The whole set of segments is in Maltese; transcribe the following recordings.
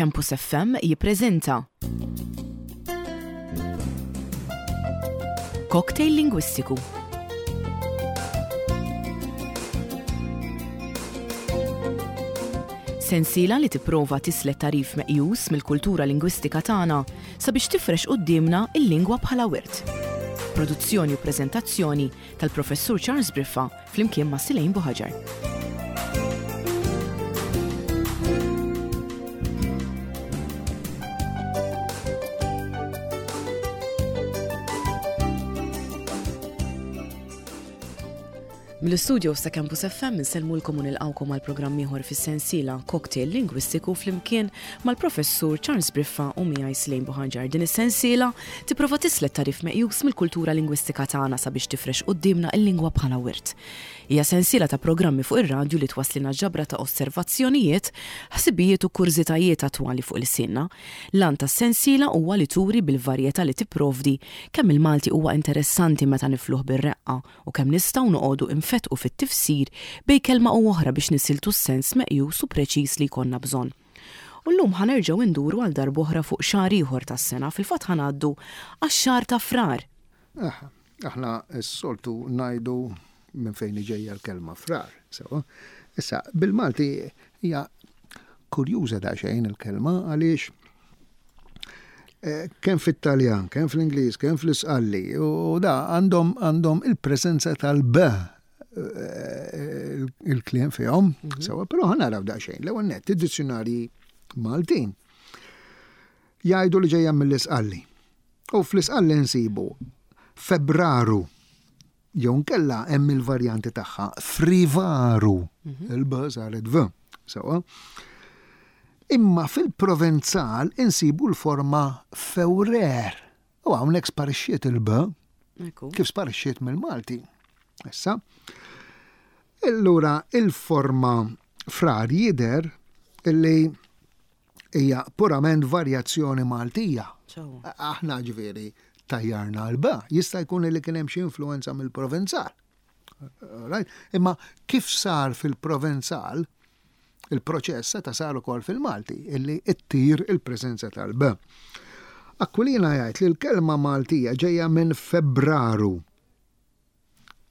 Campus FM jippreżenta Cocktail Lingwistiku. Sensiela li tipprova tislet tagħrif meqjus mill-kultura lingwistika tagħna sabiex tifrex quddiemna l-lingwa bħala wirt. Produzzjoni u preżentazzjoni tal-Professur Charles Briffa flimkien ma' Silejn Buħaġar. Mill-istudios ta' Campus FM insellmulkom u nilqgħukom għal programm ieħor fis-sensiela Cocktail Lingwistiku flimkien mal-Professur Charles Briffa u miegħi Slejn Buħanġar. Din is-sensiela tipprova tislet tagħrif meqjus mill-kultura lingwistika tagħna sabiex tifrex quddiemna l-lingwa bħala wirt. Hija sensiela ta' programmi fuq ir-radju li twasslilna ġabra ta' osservazzjonijiet, ħsibijiet u kurżitajiet attwali fuq ilsienna. L-għan tas-sensiela huwa li turi bil-varjetà li tipprovdi kemm il-Malti huwa interessanti meta nifluh bir-reqqa u kemm nistgħu noqogħdu infettqu fit-tifsir bejn kelma u oħra biex nisiltu s-sens meqjus u preċiż li jkollna bżonn. U llum ħa nerġgħu nduru għal darb'oħra fuq xahar ieħor tas-sena, fil-fatt ħa ngħaddu għax-xahar ta' Frar. Aha, aħna s-soltu ngħidu minn fejn ġejja l-kelma frar, sewa. Issa, bil-Malti hija kurjuża daqsxejn il-kelma għaliex eh, kemm fit-Taljan, kemm fl-Ingliż, kemm fl-Isqalli, u da għandhom għandhom il-preżenza tal-b il-kliem fihom, mhm. sewa, però ħa naraw daqsxejn. L-ewwel nett, id-dizzjonarji Maltin jgħidu li ġejja mill-Isqalli. U fl-Isqalli nsibu Febraru jew nkella hemm il-varjanti tagħha Frivaru, mhm. il-b saret v, sewa. Imma fil-Provenzal insibu l-forma Fewrer. U hawnhekk sparixxiet il-b. Kif sparixxiet mill-Malti. Issa. Allura il-forma frar jidher illi hija purament varjazzjoni Maltija. Aħna ġifieri tajjarna l-ba, jista' jkun li kien hemm xi influenza mill-Provenzal. Right? Imma kif sar fil-Provenzal, il-proċess seta' sar ukoll fil-Malti, illi ttir il-preżenza tal-b. Aquilina jgħid li l-kelma Maltija ġejja minn Febraru.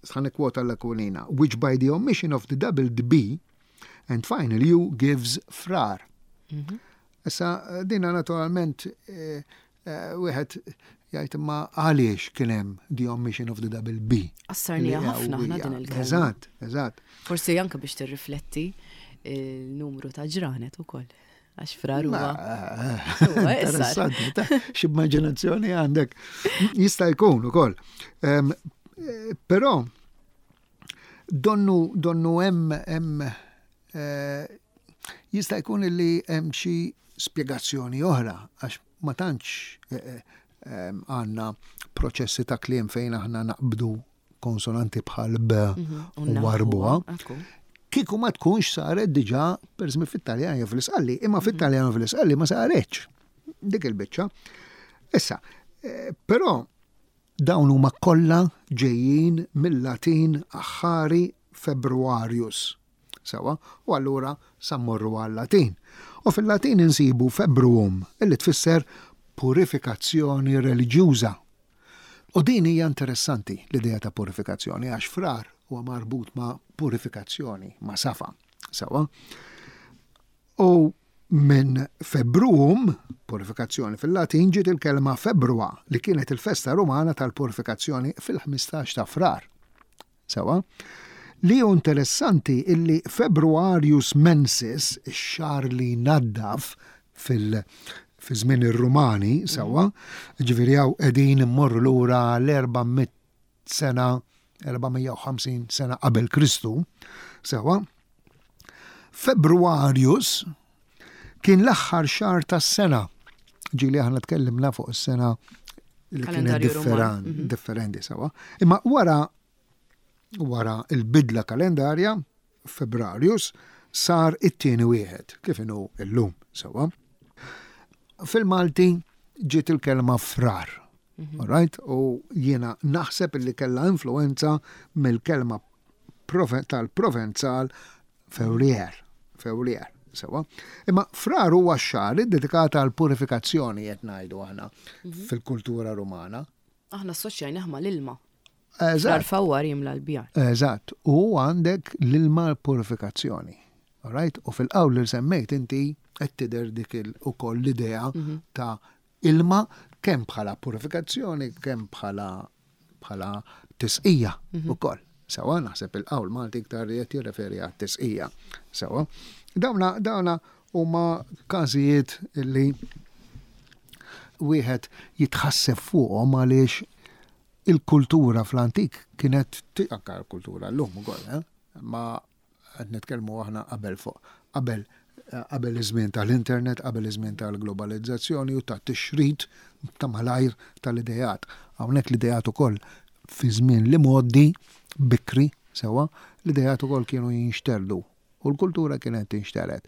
Ħa nikkwota l-Aquilina, which by the omission of the double B and final U gives frar. Mhm. Issa, dina naturalment eh, Eh, wieħed jgħid imma għaliex kien hemm the omission of the double B. Qassarnija ħafna aħna din il-kelma. Eżatt, eżatt. Forsi anke biex tirrifletti il-numru ta' ġranet ukoll. Għax frar huwa. Interessanti, x'immaġinazzjoni għandek. Jista' jkun ukoll. Eh, però donnu donnu hemm hemm eh, jista' jkun li hemm xi spjegazzjoni oħra għax ma tantx eh, eh, għandna proċessi ta' kliem fejn aħna naqbdu konsonanti bħal b mhm, u warbuha. Kieku ma tkunx saret diġà pereżempju fit-Taljan jew fl-Isqalli, imma mhm. fit-Taljan u fl-Isqalli ma saretx dik il-biċċa. Issa, eh, però dawn huma kollha ġejjin mill-Latin aħħari Februarius. Sewwa, u allura sa mmorru għal-Latin. U fil-Latin insibu februum, illi tfisser purifikazzjoni reliġjuża. U din hija interessanti, l-idea ta' purifikazzjoni, għax frar huwa marbut ma' purifikazzjoni, ma' safa. Sewwa. U minn februum, purifikazzjoni fil-Latin, ġiet il-kelma februa, li kienet il-festa Rumana tal-purifikazzjoni fil-15 ta' Frar. Sewwa. Li hu interessanti illi Februarius mensis, ix-xahar li jnaddaf fil fi żmien ir-Rumani, sewwa, ġifieri hawn qegħdin immorru lura l-400 sena, 450 sena qabel Kristu, sewwa. Februarius kien l-aħħar xahar tas-sena. Ġieli aħna tkellimna fuq is-sena li kienet mhm. differenti sewa. Imma wara wara il-bidla kalendarja, Febrarius, sar it-tieni wieħed, kif inhu illum sewa. Fil-Malti ġiet il-kelma frar. Mhm. Right? U jiena naħseb li kellha influenza mill-kelma tal-Provenzal Fewrier. Fewrier. Sewa. Imma frar huwa x-xahar iddedikat għal purifikazzjoni qed ngħidu aħna mhm. fil-kultura Rumana. Aħna assoċjajnih mal-ilma. Eżatt. Fawwar jimla l-bjar. Eżatt. U għandek l-ilma purifikazzjoni. Alright? U fil-qawl li semmejt inti qed tidher dik ukoll l-idea mhm. ta' ilma kemm bħala purifikazzjoni, kemm bħala bħala tisqija mhm. ukoll. Sewa naħseb il-qawl Malti iktar li qed jirreferi għat-tisqija. Sewa. Dawna dawna huma każijiet li wieħed jitħasseb fuqhom għaliex il-kultura fl-antik kienet anka l-kultura llum ukoll, eh? ma Qed nitkellmu aħna qabel fuq qabel qabel iż-żmien tal-internet, qabel iż-żmien tal-globalizzazzjoni u tat-tixrid ta' malajr tal-ideat. Hawnhekk l-ideat ukoll fi żmien l-imgħoddi bikri sewwa, l-ideat ukoll kienu jinxterdu u l-kultura kienet tinxtered.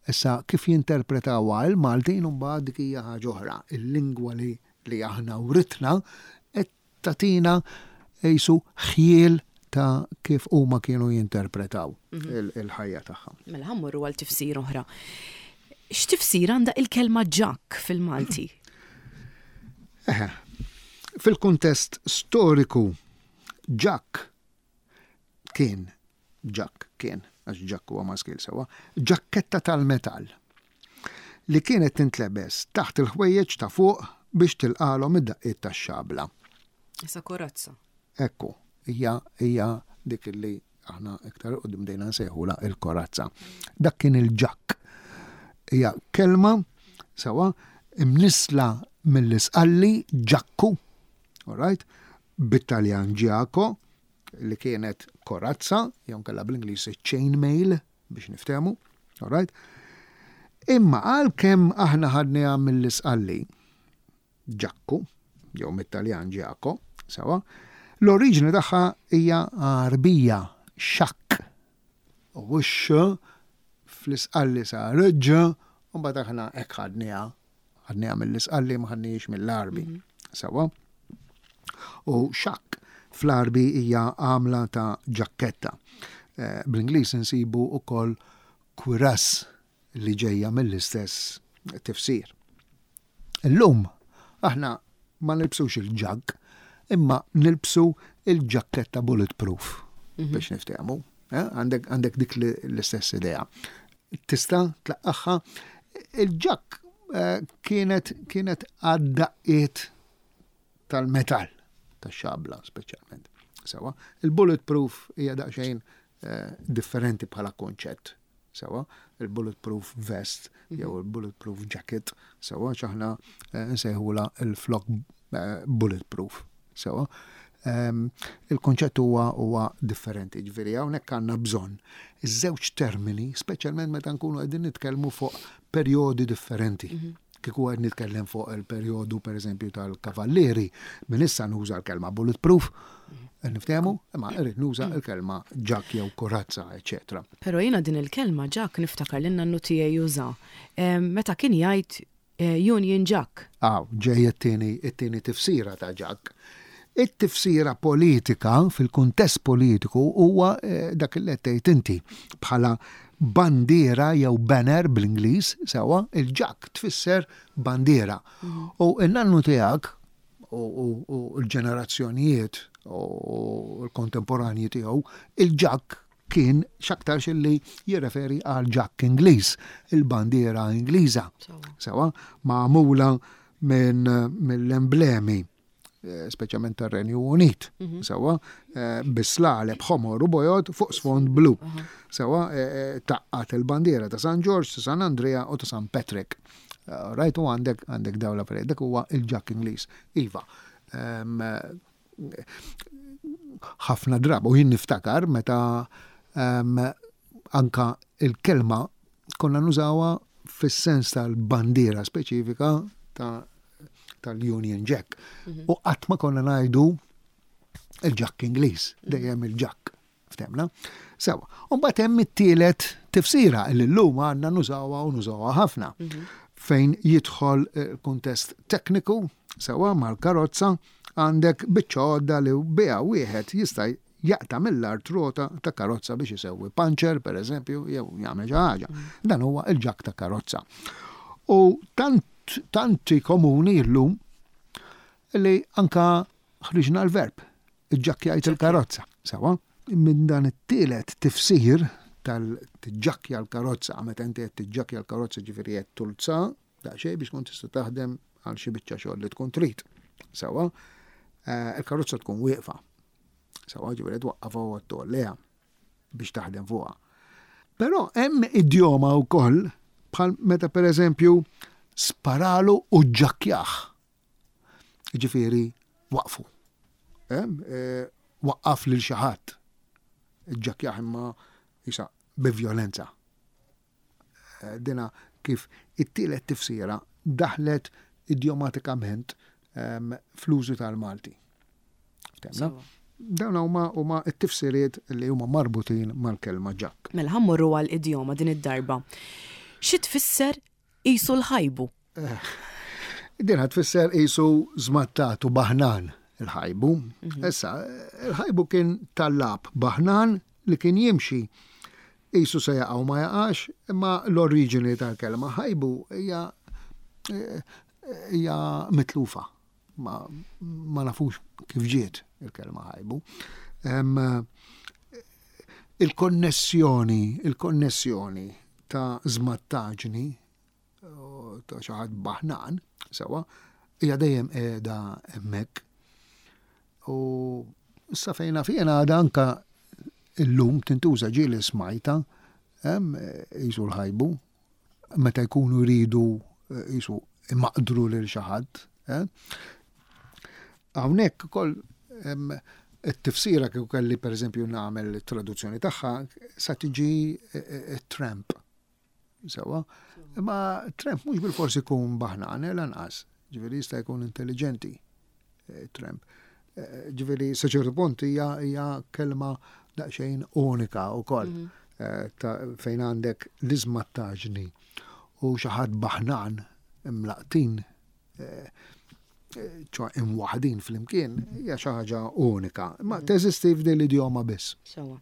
Issa kif jinterpretawha il-Maltin imbagħad dik hija ħaġa oħra. Il-lingwa li li aħna writna qed tagħtina qisu ħjiel ta' kif huma kienu jinterpretaw mhm. il-ħajja tagħha. Mela ħa mmorru għal tifsir oħra. X'tifsir għandha il-kelma ġakk fil-Malti? Eħe, fil-kuntest storiku ġakk kien ġakk kien, għax ġakk huwa maskil sewwa, ġakketta tal-metall li kienet tintlebes taħt il-ħwejjeġ ta' fuq biex tilqalhom id-daqqiet tax-xabla. Isa korazza. Ekku, hija hija dik li aħna iktar 'il quddiem bdejna nsejħulha il-korazza. Dak kien il-ġakk. Hija kelma sewwa imnissla mill-Isqalli ġakku, all right, bit-Taljan ġiaco, li kienet korazza, jew nkella bl-Ingliż chain mail biex niftehmu, all right? Imma għalkemm aħna ħadniha mill-Isqalli, ġakku, jew mit-Taljan ġiaco, sewa, l-oriġini tagħha hija Għarbija, xakk. U x fl-Isqalli sar ġ, u mbagħad aħna hekk ħadniha Ħadniha mill-Isqalli ma ħadnihiex mill-Għarbi. Mhm. Sewwa. U xakk fl-Għarbi hija għamla ta' ġakketta. Eh, bl-Ingliż insibu ukoll cuirass li ġejja mill-istess tifsir. Illum aħna ma nilbsux il-ġagg, imma nilbsu il-ġakketta bulletproof mhm. biex niftehmu. Eh, għandek dik l-istess idea. Tista' tlaqqagħha. Il-ġakk eh, kienet kienet għad-daqqiet tal-metall, tax-xabla speċjalment. Sewa, il-bulletproof hija daqsxejn eh, differenti bħala konċett. Sewa, il-bulletproof vest mhm. jew il-bulletproof jacket, sewa x'aħna eh, nsejħula il-flok bulletproof. Sewa. Ehm, il-konċett huwa huwa differenti, ġifieri hawnhekk għandna bżonn iż-żewġ termini, speċjalment meta nkunu qegħdin nitkellmu fuq perjodi differenti. Mhm. Kieku qed nitkellem fuq il-perjodu pereżempju tal-kavallieri, minn issa nuża l-kelma bulletproof, mhm. niftehmu, imma irrid nuża mhm. l-kelma ġak jew korazza, eċetera. Però jiena din il-kelma ġak niftakar li nannu tiegħi juża. Ehm, meta kien jgħid Union Jack. Hawn ġej it-tieni it-tieni tifsira ta' Jack. It-tifsira politika fil-kuntest politiku huwa dak li qed tgħid inti bħala bandiera jew banner bl-Ingliż sewwa, il-Jack tfisser bandiera. U n-nannu tiegħek u l-ġenerazzjonijiet u l-kontemporanji tiegħu, il-Jack kien x'aktarx illi jirreferi għal ġakk Ingliż, il-bandiera Ingliża. Sewa, magħmula minn mill-emblemi eh, speċjalment tar-Renju Unit, mhm. sewa, eh, bislaleb ħomor u bojod fuq sfond blu. Sewa, eh, taqqat il-bandiera ta' San Ġorġ, ta' San Andrea u ta' San Patrick. Rajtu għandek għandek dawla dak huwa il-ġakk Ingliż. Iva, ehm, ħafna drabi, u jien niftakar meta um, anka il-kelma konna nużawha fis-sens tal-bandiera speċifika tal-Union Jack. Mhm. U qatt ma konna ngħidu il-Jack Ingliż, mhm. dejjem il-Jack. Ftemna? Sewa. U mbagħad hemm it-tielet tifsira li llum għandna nużawha u nużawha ħafna. Mhm. Fejn jidħol eh, kuntest tekniku, sewa mal-karozza, għandek biċċa għodda li biha wieħed jista' jaqta' mill-art rota ta' karozza biex isewwi panċer, per eżempju, jew jagħmel xi ħaġa. Dan huwa il-ġakk ta' karozza. U tant tanti komuni llum li anka ħriġna l-verb, iġġakkjajt il-karozza. Sawa? Minn dan it-tielet tifsir tal-tiġġakkja l-karozza, meta inti qed tiġġakkja l-karozza ġifieri qed tulza daqsxejn biex tkun tista' taħdem għal xi biċċa xogħol li tkun trid. Sawa? Eh, il-karozza tkun wieqfa. Sawa ġifieri twaqqafha u tolleha biex taħdem fuqha. Però hemm idjoma wkoll bħal meta pereżempju sparalu u ġġakkjah. Ġifieri waqfu. Eh, waqqaf lil xi ħadd. Ġġakkjah imma isa bi vjolenza. Eh, dina kif it-tielet tifsira daħlet idjomatikament ehm, fl-użu tal-Malti. Temna? Dawn huma huma t-tifsiriet li huma marbutin mal-kelma ġakk. Mela ħammorru għal idjoma din id-darba. Xi tfisser qisu l-ħajbu? Eh, din tfisser qisu żmattat u baħnan il-ħajbu. Mhm. Issa, il-ħajbu kien tallab baħnan li kien jimxi Qisu se jaqa' u ma jaqax, imma l-oriġini tal-kelma ħajbu hija hija mitlufa. Ma, ma nafux kif ġiet il-kelma ħajbu. Il-konnessjoni, il-konnessjoni ta' żmattaġni ta' xi ħadd baħnan, sewa, hija dejjem qiegħda hemmhekk. U issa fejn naf jiena għadha anka illum tintuża ġieli smajta hemm qisu l-ħajbu meta jkunu jridu qisu imaqdru lil xi ħadd. Eh? Hawnhekk ukoll it-tifsira kieku kelli pereżempju nagħmel traduzzjoni tagħha sa tiġi eh, eh, tramp. Sewa. Imma Trump mhux bil-fors ikun baħnan, eh, lanqas. Ġifieri jista' jkun intelligenti eh, Trump. Eh, ġifieri sa ċertu punt hija hija kelma daqsxejn unika wkoll mhm. fejn għandek l-iżmattaġni u xi ħadd baħnan imlaqtin ċo imwaħdin flimkien hija xi ħaġa unika, ma mm. teżisti f'din l-idjoma biss. Sewa.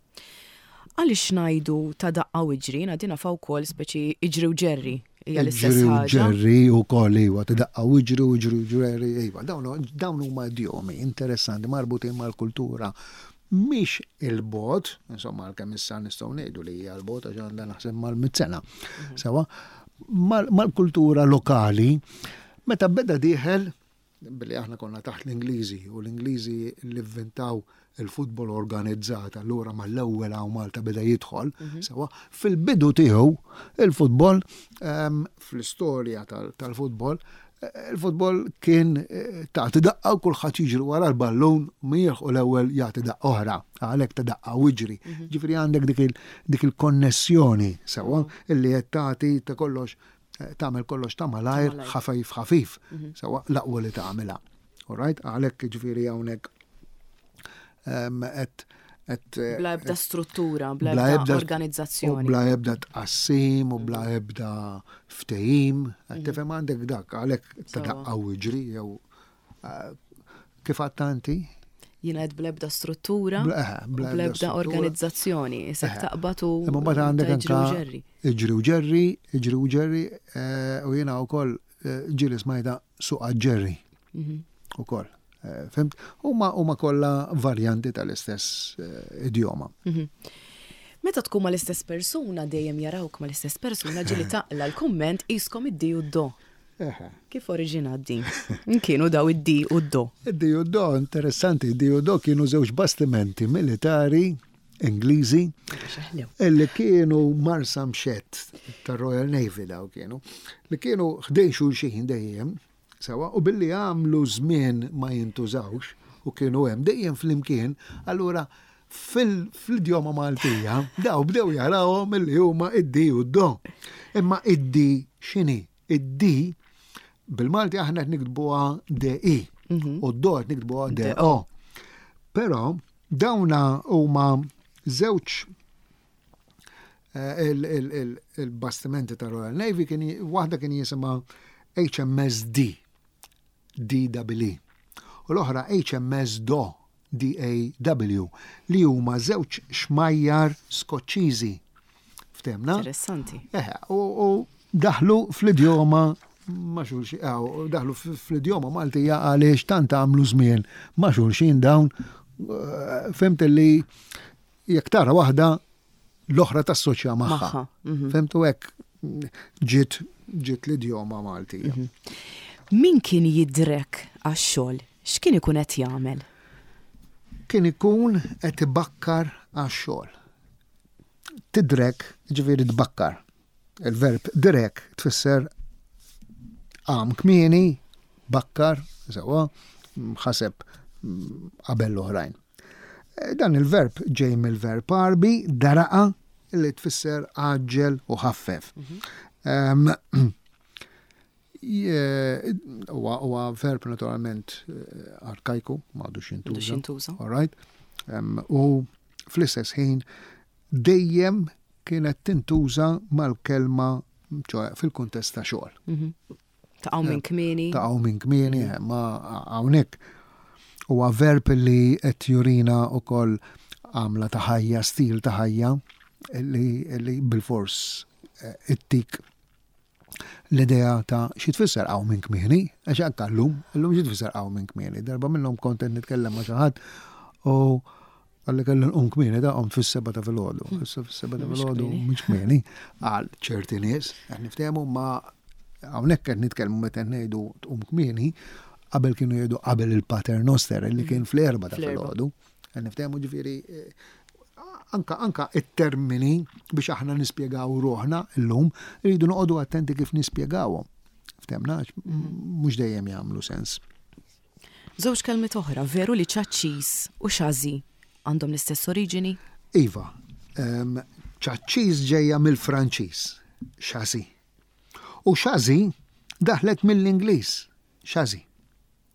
Għaliex ngħidu ta' daqqa u iġri, jiena din nafha wkoll speċi iġri u ġerri hija l-istess ħaġa. Ġerri u koll iva, ta' daqqa u iġri u iġri u ġerri, iva. Dawn huma idjomi interessanti marbutin mal-kultura mhix il-bogħod, insomma għalkemm issa nistgħu ngħidu li hija l-bogħod għax għandha naħseb mal-mit sena. Mhm. Sewa, mal-kultura lokali, meta beda dieħel billi aħna konna taħt l-Ingliżi u l-Ingliżi li vvintaw il-futbol organizzat allura mal-ewwel hawn Malta beda jidħol, mhm. sewa, fil-bidu tiegħu il-futbol ehm, fl-istorja tal-futbol Il-futbol kien eh, tagħti daqqa u kulħadd jiġri wara l-ballun mieħ u l-ewwel jagħti daqqa oħra, għalhekk ta' daqqa u iġri. Mhm. Ġifieri għandek dik il-konnessjoni sewwa illi qed tagħti ta' kollox eh, tagħmel kollox ta' malajr ħafif ħafif, mhm. sewwa l-aqwa li tagħmilha. All right, għalhekk ġifieri hawnhekk ehm, qed Eh, bla ebda struttura, bla ebda organizzazzjoni. Bla ebda tqassim u bla mm. ebda ftehim. Mhm. Tifhem għandek dak għalhekk ta' daqqa u iġri jew eh, kif għattanti? Jina għed bla ebda struttura, eh, bla ebda organizzazzjoni, isek taqbad u. Imma mbagħad għandek anka iġri u ġerri, iġri u ġerri, u jiena wkoll ġieli smajta suqa ġerri. Mhm. Ukoll. Eh, fimt? Huma huma kollha varjanti tal-istess eh, idjoma. Mhm. Meta tkun mal-istess persuna dejjem jarawk mal-istess persuna ġieli taqla l-kumment iskom id-di u d-do. Kif oriġinat din? Kienu daw id-di u d-do. Id-di u d-do, interessanti, id-di u d-do kienu żewġ bastimenti militari Ingliżi illi kienu marsa mxett tar-Royal Navy daw kienu, li kienu ħdejn xulxin dejjem Sewwa, u billi għamlu żmien ma jintużawx u kienu hemm dejjem flimkien, allura fl-idjoma Maltija daw bdew jarawhom illi huma id-di u d-do. Imma id-di x'inhi? Id-di bil-Malti aħna qed niktbuha DI mhm. u d-do qed niktbuha DO. Però dawna huma żewġ Eh, il-bastimenti ta' Royal Navy kien waħda kien jisimha HMS D, DWE, u l-oħra HMS Do, D-A-W, li huma żewġ xmajjar Skoċċiżi. Ftemna? Interessanti. Eħe, u daħlu fl-idjoma ma' xulxin, daħlu fl-idjoma Maltija għaliex tant għamlu żmien ma' xulxin dawn, eh, fimt li jekk tara waħda l-oħra tassoċja magħha. Mhm. Femtu hekk ġiet ġiet l-idjoma Maltija. Mhm. Min kien jidrek għax-xogħol? X'kien ikun qed jagħmel? Kien ikun qed ibakkar għax-xogħol. Tidrek, ġifieri tbakkar. Il-verb direk tfisser qam kmieni, bakkar, sewwa, ħaseb qabel l-oħrajn. Eh, dan il-verb ġej mill-verb Għarbi daraqa li tfisser għaġġel u ħaffef. Mhm. Huwa verb naturalment eh, arkajku, ma għadux jintuża. All right? U fl-istess ħin dejjem kienet tintuża mal-kelma ċoħe fil-kuntest ta' xogħol. Mhm. Taqgħu minn kmieni. Taqgħu minn kmieni, eh, ma hawnhekk huwa verb li qed jurina wkoll għamla ta' ħajja, stil ta' ħajja li bil-fors eh, ittik l-idea ta' xi tfisser hawn minn kmieni, għax anke llum, illum xi tfisser hawn minn kmieni. Darba minnhom kont qed nitkellem ma' xi ħadd u għalli kellu nqum kmieni da qomt fis-seba ta' filgħodu. Hmm. Issa fis-seba ta' filgħodu mhux kmieni għal ċerti nies, qed niftehmu ma hawnhekk qed nitkellmu meta ngħidu tqum kmieni, qabel kienu jgħidu qabel il-Pater Noster li kien fl-erba ta' filgħodu. Qed niftehmu ġifieri eh, anka anka it-termini biex aħna nispjegaw ruħna llum, rridu noqogħdu attenti kif nispjegawhom. Ftemna, mhux dejjem jagħmlu sens. Żewġ kelmiet oħra, veru li ċaċċis u xażi għandhom l-istess oriġini? Iva, ċaċċis ġejja mill-Franċiż, xażi. U xażi daħlet mill-Ingliż, xażi.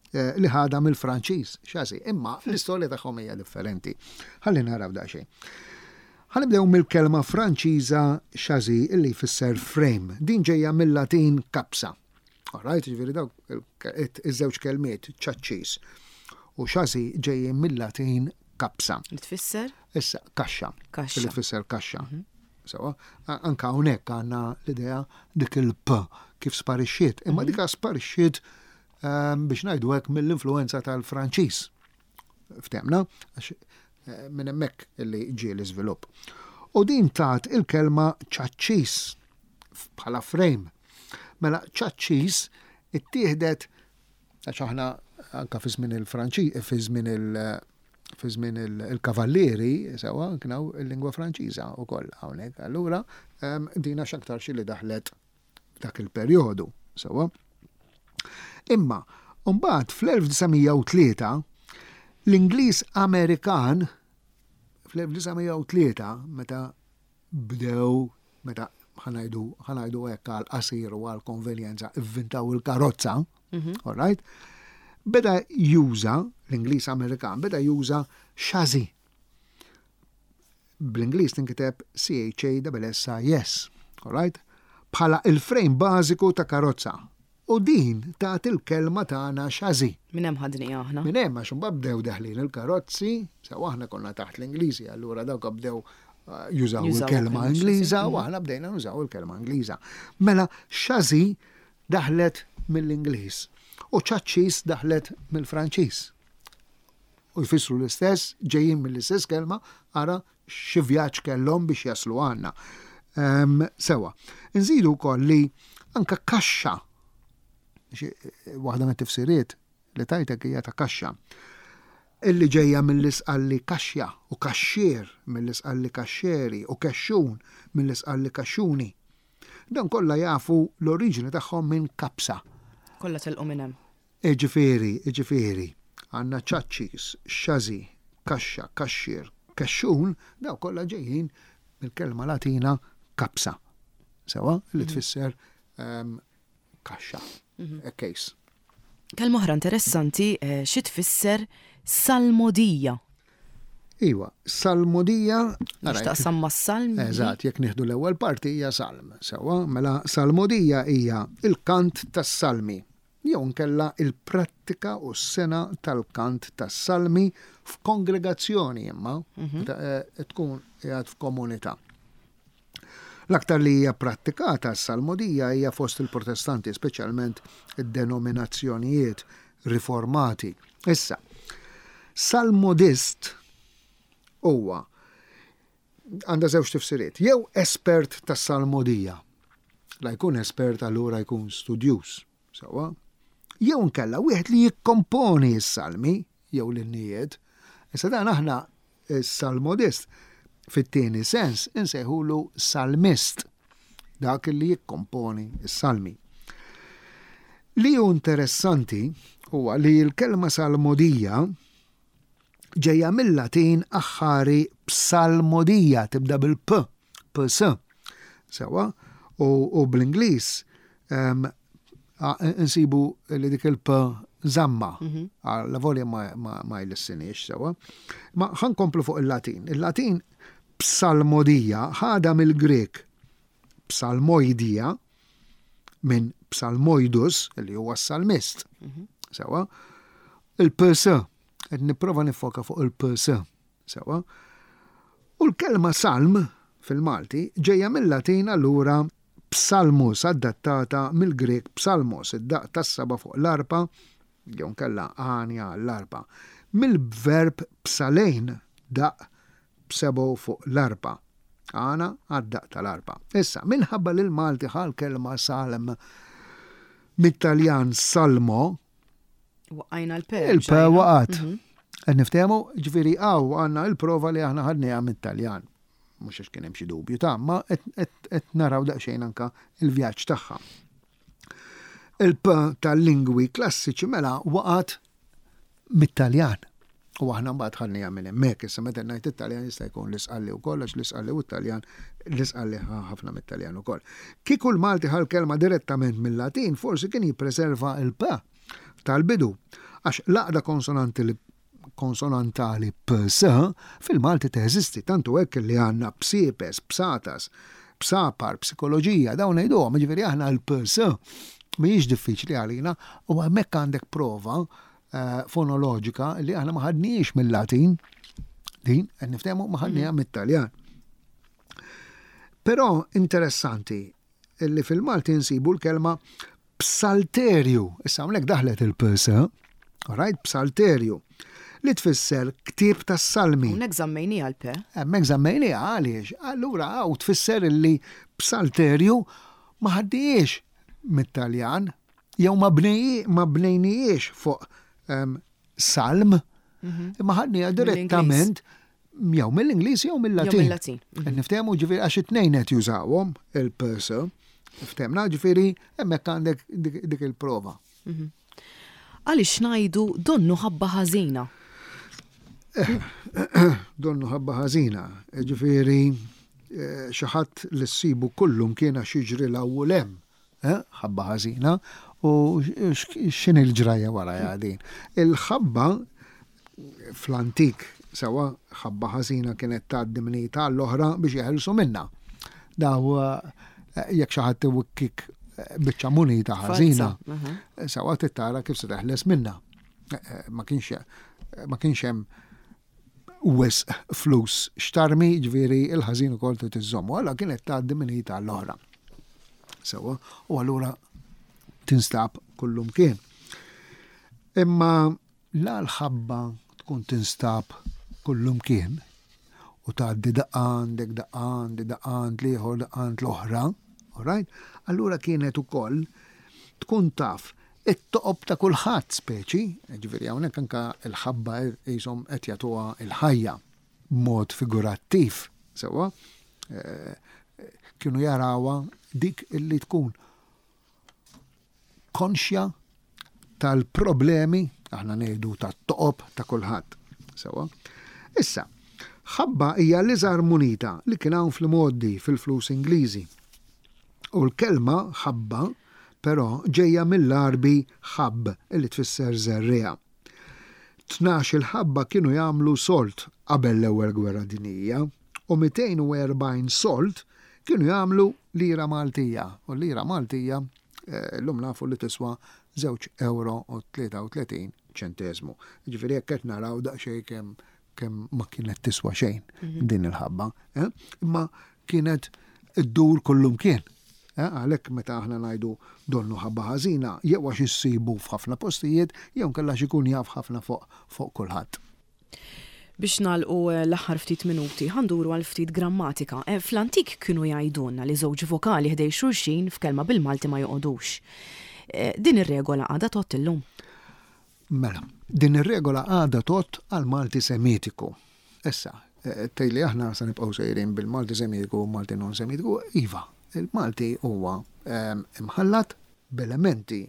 Eh, li ħadha mill-Franċiż, xażi, imma l-istorja tagħhom hija differenti. Ħalli naraw daqsxejn. Ħanibdew mill-kelma Franċiża xażi li jfisser frame. Din ġejja mill-Latin kapsa. Alright, ġifieri dawk iż-żewġ kelmiet ċaċċis u xażi ġejjin mill-Latin kapsa. Li tfisser? Issa, kaxxa. Kaxxa. Li tfisser kaxxa. Mhm. Sewa, anka hawnhekk għandna l-idea dik il-p kif sparixxiet, imma mhm. dika sparixxiet Ehm, biex ngħidu hekk mill-influenza tal-Franċiż. Ftemna, għax eh, minn hemmhekk li ġie l-iżvilupp. U din tat il-kelma ċaċċis bħala frame. Mela ċaċċis ittieħdet għax aħna anka fi żmien il-Franċi, fi żmien il- fi żmien il-kavallieri, sewa, kienaw il-lingwa Franċiża wkoll hawnhekk. Allura, ehm, dina x'aktar xi li daħlet f'dak il-perjodu, sewwa. Imma mbagħad fl-1903 l-Ingliż Amerikan fl-1903 meta bdew meta ħanajdu ħanajdu hekk għal qasir u għal konvenjenza ivvintaw il-karozza, mhm. all right? Beda juża l-Ingliż Amerikan beda juża xażi Bl-Ingliż tinkiteb C-H-A-S-S-I-S, alright? Bħala il-frame bażiku ta' karozza. U din tat il-kelma tagħna chassis. Minn hemm ħadniha aħna. Minn hemm għax imbagħad bdew deħlin il-karozzi, sew aħna konna taħt l-Ingliżi, allura dawk bdew eh, jużaw il-kelma Ingliża u aħna bdejna nużaw il-kelma Ingliża. Mela chassis daħlet mill-Ingliż u ċaċċis daħlet mill-Franċiż. U jfissru l-istess, ġejjin mill-istess kelma, ara xi vjaġġ kellhom biex jaslu għandna. Ehm, sewa. Nżidu wkoll li anka kaxxa, waħda mit-tifsiriet li tajtek hija ta' kaxxa, illi ġejja mill-isqalli kaxja u kaxxier mill-isqalli kaxxeri u kexxun mill-isqalli kaxxuni. Dan kollha jafu l-oriġini tagħhom minn kapsa. Kollha telqu minn hemm. Jiġifieri, jiġifieri, għandna ċaċċis, xażi, kaxxa, kaxxier, kexxun, dawn kollha ġejjin mill-kelma Latina capsa, sewwa, li tfisser kaxxa, a case. Kelma oħra interessanti xi tfisser salmodija? Iwa, salmodija. X'taqsam mas-salm? Eżatt, jekk nieħdu l-ewwel parti hija salm, sewwa, mela salmodija hija l-kant tas-salmi. jew inkella il-prattika u s-sengħa tal-kant tas-salmi f'kongregazzjoni imma meta tkun qiegħed f'komunità. L-aktar li hija prattikata s-salmodija hija fost il-Protestanti, speċjalment id-denominazzjonijiet riformati. Issa, salmodist huwa għandha żewġ tifsiriet, jew espert tas-salmodija. La jkun espert allura jkun studjuż, sewwa? Jew inkella wieħed li jikkomponi s-salmi jew l-innijiet. Issa dan aħna Is-salmodist, fit-tieni sens, insejħulu salmist, dak li jikkomponi s-salmi. Li hu interessanti huwa li l-kelma salmodija ġejja mill-Latin aħħari psalmodija, tibda bil-p, ps. Sewa, u bl-Ingliż Insibu li dik il-p zamma, mhm. la volja ma jlissinix sewa. Ma ħankomplu fuq il-Latin. Il-Latin psalmodija ħada mill-Grek psalmoidija minn psalmoidus, li huwa s-salmist. Mhm. Sewa. Il-ps, qed nipprova nifoka fuq il-ps. Sewa. U l-kelma salm fil-Malti ġejja mill-Latin allura psalmus adattata mill-Grieg psalmos, id-daqq tas-saba' fuq l-arpa, jew inkella għanja għall-arpa, mill-verb psalein, daqq b'sebgħu fuq l-arpa, għana għad-daqq tal-arpa. Issa, minħabba li l-Malti ħa l-kelma salm mit-Taljan salmo, Waqajna l-P. Il-P waqgħet. Mhm. Qed niftehmu, ġifieri hawn għandna l-prova li aħna ħadniha mit-Taljan. Mhux għax kien hemm xi dubju ta' ma qed naraw daqsxejn anka il-vjaġġ tagħha. Il-P tal-lingwi klassiċi mela waqgħet mit-Taljan. U aħna mbagħad ħadniha minn hemmhekk, issa meta ngħid it-Taljan jista' jkun l-Isqalli wkoll għax l-Isqalli u t-Taljan l-Isqalli ħa ħafna mit-Taljan ukoll. Kieku l-Malti ħa l-kelma direttament mil-Latin forsi kien jippreserva l-p tal-bidu għax l-għaqda konsonanti li konsonantali ps fil-Malti teżisti, tant hu hekk li għandna psiepes, psatas, psapar, psikoloġija, dawn ngħiduhom, jiġifieri aħna l-ps mhijiex diffiċli għalina u hemmhekk għandek prova fonoloġika li aħna ma ħadniex mill-Latin, din qed niftehmu ma ħadniha mm. mit-Taljan. Però interessanti li fil-Malti nsibu l-kelma psalterju. Issa hawnhekk daħlet il-ps, right, psalterju li tfisser ktieb tas-salmi. Hawnhekk żammejniha l-p. Hemmhekk żammejniha għaliex? Allura hawn tfisser li psalterju ma ħaddiex mit-Taljan, jew ma bnejnijiex fuq ehm, salm, mhm. imma ħadniha direttament jew mill-Ingliż jew mill-Latin. Mill-Latin. Mhm. Niftehmu ġifieri għax it-tnejn qed jużawhom il-purse. Ftehmna ġifieri hemmhekk għandek dik il-prova. Mhm. Għaliex ngħidu donnu ħabba ħażina? Donnu ħabba ħażina, ġifieri eh, xi ħadd li ssibu kullum kien għax jiġri l u lem. Ħabba ħażina u x'inhi l-ġrajja warajha din? Il-ħabba fl-antik sewwa ħabba ħażina kienet tgħaddi minn id għall-oħra biex jeħilsu minnha. Daw jekk xi ħadd iwikkik biċċa munita ħażina, sewwa trid tara kif se teħles minnha. Ma kienx ma kienx hemm wisq flus x'tarmi, ġifieri il-ħażin ukoll trid iżżommu. Allura kienet tgħaddi minn id għall-oħra. Sewwa, u allura tinstab kullumkien. Imma la l-ħabba tkun tinstab kullumkien u tgħaddi daqqa għandek, daqqa għandi, daqqa għand l-ieħor, daqqa għand l-oħra, all right? Allura kienet ukoll tkun taf it-toqob ta' kulħadd speċi, jiġifieri hawnhekk anke l-ħabba qishom qed jagħtuha l-ħajja b'mod figurattiv, sewwa, kienu jarawha dik illi tkun konxja tal-problemi, aħna ngħidu tat-toqob ta' kulħadd, sewwa. Issa, ħabba hija l-iżgħar munita li kien hawn fl-imgħoddi fil-flus Ingliżi. U l-kelma ħabba però ġejja mill-Għarbi ħabb li tfisser żerriegħa. 12-il ħabba kienu jagħmlu sold qabel l-Ewwel Gwerra Dinjija u 240 sold kienu jagħmlu lira Maltija u l-lira Maltija Illum nafu li tiswa żewġ ewro u 33 ċenteżmu. Jiġifieri hekk qed naraw daqsxejn kemm kemm ma kienet tiswa xejn mhm. din il-ħabba. Eh? Imma kienet iddur kullumkien. Eh? Għalhekk meta aħna ngħidu donnu ħabba ħażina, jew għax issibu f'ħafna postijiet, jew nkella ikun jaf ħafna fuq fuq kulħadd. Biex nagħlqu eh, l-aħħar ftit minuti, ħanduru għal ftit grammatika. Eh, fl-antik kienu jgħidulna li żewġ vokali ħdej xulxin f'kelma bil-Malti ma joqogħdux. Eh, din ir-regola għadha tgħodd illum. Mela, din ir-regola għadha tgħodd għall-Malti Semitiku. Issa, tgħidli aħna se nibqgħu sejrin bil-Malti Semitiku u Malti non-Semitiku, iva, il-Malti huwa imħallat b'elementi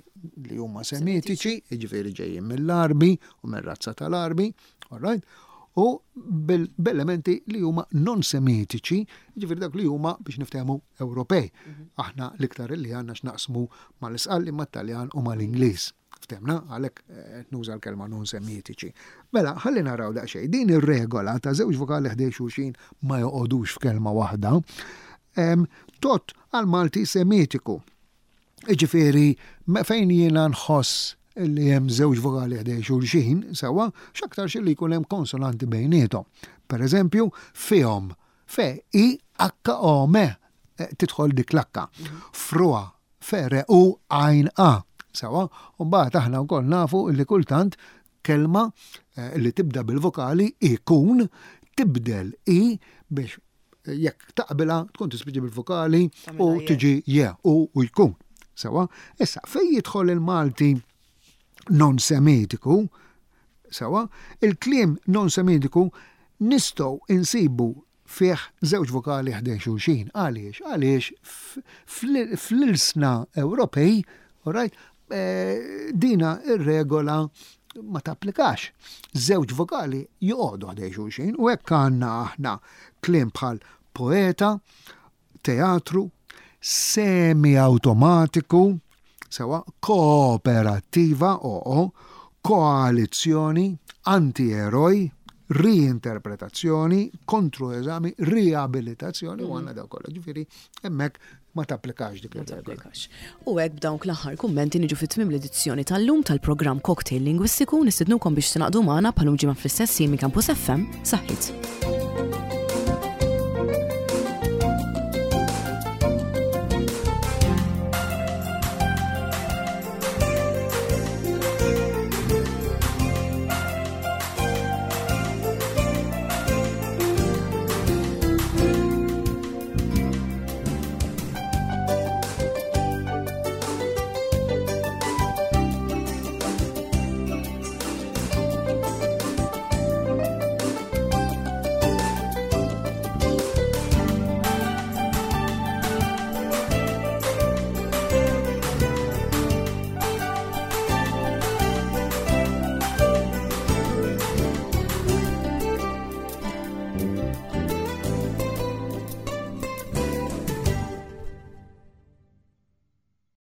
li huma Semitiċi, jiġifieri ġejjin mill-Għarbi u mir-razza tal-Għarbi, all right, u b'elementi li huma non-Semitiċi, jiġifieri dak li huma biex niftehmu Ewropej. Aħna l-iktar li għandna x'naqsmu mal-Isqalli, mat-Taljan u mal-Ingliż. Ftemna, għalhekk eh, nuża l-kelma non semitiċi. Mela, ħalli naraw daqsxejn, din ir-regola ta' żewġ vokali ħdej xulxin ma joqogħdux f'kelma waħda, tot għal Malti semitiku. Iġifieri, fejn jiena nħoss li hemm żewġ vokali ħdej xulxin, sewwa, x'aktarx li jkun hemm konsonanti bejniethom. Per eżempju, fihom, fe, i, h, o, m, eh, tidħol dik l-akka. Frua, F, R, U, għajn, A. Sewwa? U mbagħad aħna wkoll nafu li kultant kelma eh, li tibda bil-vokali ikun tibdel i biex eh, jekk taqbilha tkun tispiġi bil-vokali u tiġi je u u jkun. Sewwa? Issa, fejn jidħol il-Malti non-semitiku, sewwa, il-kliem non-semitiku nistgħu insibu fih żewġ vokali ħdejn xulxin. Għaliex? Għaliex fl-ilsna Ewropej, alright, eh, dina ir-regola ma tapplikax. Żewġ vokali joqogħdu ħdejn xulxin u hekk għandna aħna kliem bħal poeta, teatru, semi-awtomatiku, sewa, kooperattiva, oo, koalizzjoni, anti-eroj, riinterpretazzjoni, kontroeżami, riabilitazzjoni, u għandna daw kollha. Ġifieri hemmhekk ma tapplikax dik ir-regola. U hekk b'dawk l-aħħar kummenti niġu fi tmiem l-edizzjoni tal-lum tal-programm Cocktail Lingwistiku nistednukom biex tingħaqdu magħna bħalum ġimgħa fl-istess ħin minn Campus FM. Saħħit.